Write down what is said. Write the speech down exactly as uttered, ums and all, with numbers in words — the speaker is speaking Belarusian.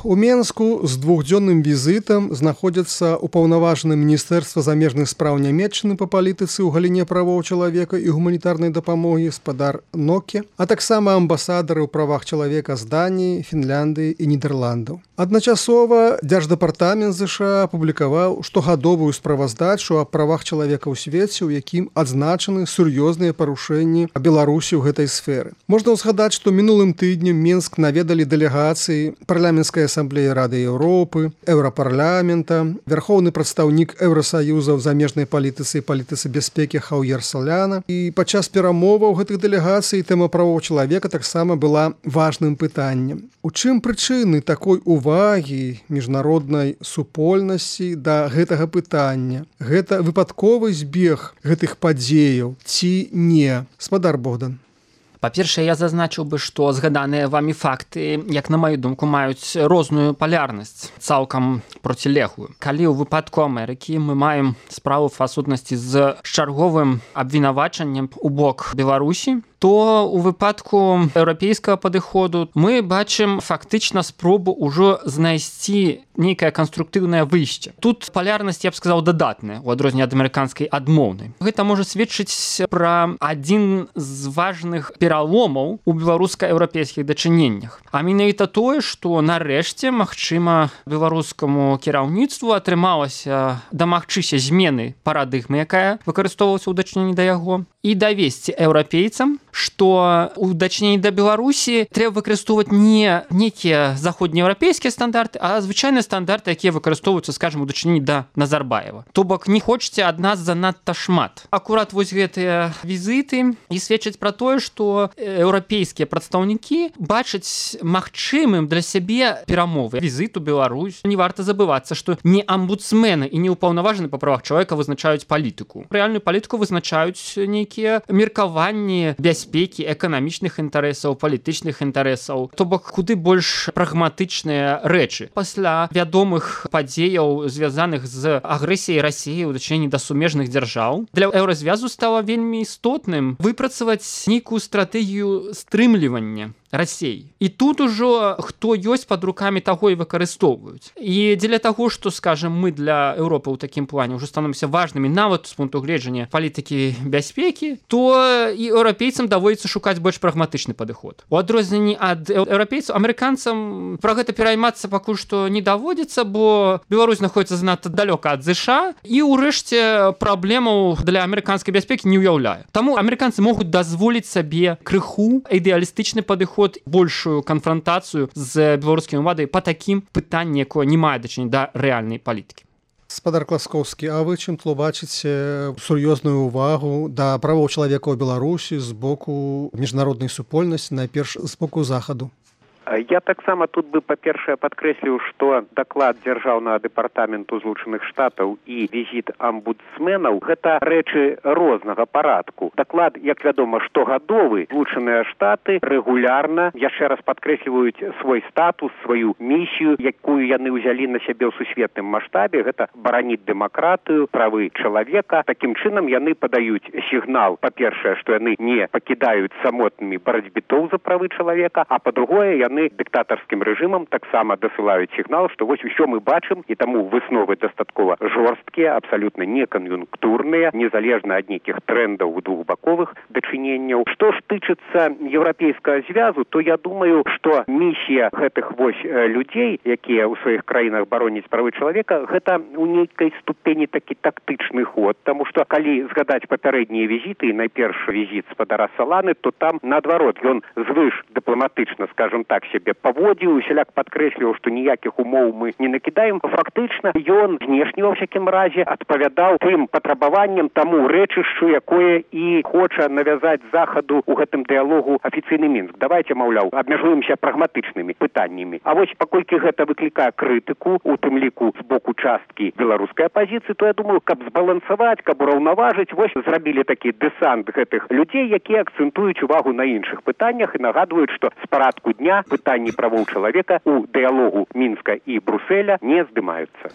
У Менску з двухдзённым візітам знаходзяцца ўпаўнаважаны Міністэрства замежных спраў Нямецчыны па палітыцы ў галіне правоў чалавека і гуманітарнай дапамогі спадар Ноке, а таксама амбасадары ў правах чалавека з Даніі, Фінляндыі і Нідерландаў. Адначасова Дзярждэпартамент ЗША апублікаваў штогадовую справаздачу аб правах чалавека ў свеце, у якім адзначаны сур'ёзныя парушэнні Беларусі ў гэтай сферы. Можна ўзгадаць, што мінулым тыднем Менск наведалі дэлегацыі парламенцкай Ассамблеі Рады Еўропы, Еўрапарламента, вярхоўны прадстаўнік Еўрасаюза ў замежнай палітыцы і палітыцы бяспекі Хаўер Соляна. І падчас перамоваў гэтых дэлегацый тэма правоў чалавека таксама была важным пытаннем. У чым прычыны такой увагі міжнароднай супольнасці да гэтага пытання? Гэта выпадковы збег гэтых падзеяў ці не? Спадар Богдан. Па-першае, я зазначыў бы, што згаданыя вамі факты, як на маю думку, маюць розную палярнасць, цалкам процілеглую. Калі ў выпадку Амерыкі мы маем справу па сутнасці з чарговым абвінавачаннем у бок Беларусі, то у выпадку еўрапейскага падыходу мы бачым фактычна спробу ўжо знайсці нейкае канструктыўнае выйсце. Тут палярнасць, я б сказаў, дадатная, у адрозненне ад амерыканскай адмоўнай. Гэта можа сведчыць пра адзін з важных пераломаў у беларуска-еўрапейскіх дачыненнях. А менавіта тое, што нарэшце, магчыма, беларускаму кіраўніцтву атрымалася дамагчыся змены парадыгмы, якая выкарыстоўвалася ў дачыненні да яго, і давесці еўрапейцам, што ў дачыненні да Беларусі трэба выкарыстоўваць не нейкія заходнееўрапейскія стандарты, а звычайныя стандарты, якія выкарыстоўваюцца, скажам, у дачыненні да Назарбаева. То бок не хочаце ад нас занадта шмат. Акурат вось гэтыя візіты і сведчаць пра тое, што еўрапейскія прадстаўнікі бачаць магчымым для сябе перамовы. Візіт у Беларусь. Не варта забывацца, што не амбудсмены і не ўпаўнаважаны па правах чалавека вызначаюць палітыку. Рэальную палітыку вызначаюць нейкія меркаванні бяспекі, эканамічных інтарэсаў, палітычных інтарэсаў. То бок куды больш прагматычныя рэчы. Пасля вядомых падзеяў, звязаных з агрэсіяй Расіі ў дачыненні да сумежных дзяржаў, для еўразвязу стала вельмі істотным выпрацаваць нейкую стратэгію стрымлівання Расіі. І тут ужо хто ёсць пад рукамі таго і выкарыстоўваюць. І дзеля таго, што, скажем, мы для Еўропы ў такім плане ўжо становімся важнымі нават з пункту гледжання палітыкі бяспекі, то і еўрапейцам даводзіцца шукаць больш прагматычны падыход. У адрозненні ад еўрапейцаў, амерыканцам пра гэта пераймацца пакуль што не даводзіцца, бо Беларусь знаходзіцца занадта далёка ад ЗША і ўрэшце праблемаў для амерыканскай бяспекі не ўяўляе. Таму амерыканцы могуць дазволіць сабе крыху ідэалістычны падыход, большую канфрантацыю з беларускімі ўладамі па такім пытанні, якое не мае дачынення да рэальнай палітыкі. Спадар Класкоўскі, а вы чым тлумачыце сур'ёзную ўвагу да правоў чалавека ў Беларусі з боку міжнароднай супольнасці, найперш з боку захаду? Я таксама тут бы, па-першае, падкрэсліў, што даклад дзяржаўнага дэпартаменту Злучаных Штатаў і візіт амбудсменаў – гэта рэчы рознага парадку. Даклад, як вядома, штогадовы. Злучаныя Штаты рэгулярна, яшчэ раз падкрэсліваюць свой статус, сваю місію, якую яны ўзялі на сябе ў сусветным маштабе. Гэта бараніць дэмакратыю, правы чалавека. Такім чынам яны падаюць сігнал, па-першае, што яны не пакідаюць самотнымі барацьбітоў за правы чалавека, а па-другое, яны дыктатарскім рэжымам таксама дасылаюць сігнал, што вось усё мы бачым, і таму высновы дастаткова жорсткія, абсалютна некан'юнктурныя, незалежна ад нейкіх трэндаў двухбаковых дачыненняў. Што ж тычыцца еўрапейскага звязу, то я думаю, што місія гэтых вось людзей, якія ў сваіх краінах бароняць правы чалавека, гэта ў нейкай ступені такі тактычны ход, таму што калі згадаць папярэднія візіты, і найперш візіт спадара Саланы, то там наадварот ён звыш дыпламатычна, скажем так, сябе паводзіў, усяляк падкрэсліваў, што ніякіх умоў мы не накідаем. Фактычна, ён знешне, ва всякім разе, адпавядаў тым патрабаванням, таму рэчышчу, якое і хоча навязаць захаду ў гэтым дыялогу афіцыйны Мінск. Давайте, маўляў, абмяжуемся прагматычнымі пытаннямі. А вось паколькі гэта выклікае крытыку, у тым ліку з боку часткі беларускай апазіцыі, то я думаю, каб збалансаваць, каб ураўнаважыць, вось зрабілі такі дэсант гэтых людзей, якія акцэнтуюць увагу на іншых пытаннях і нагадваюць, што з парадку дня пытанні правоў чалавека у дыялогу Мінска і Бруселя не здымаюцца.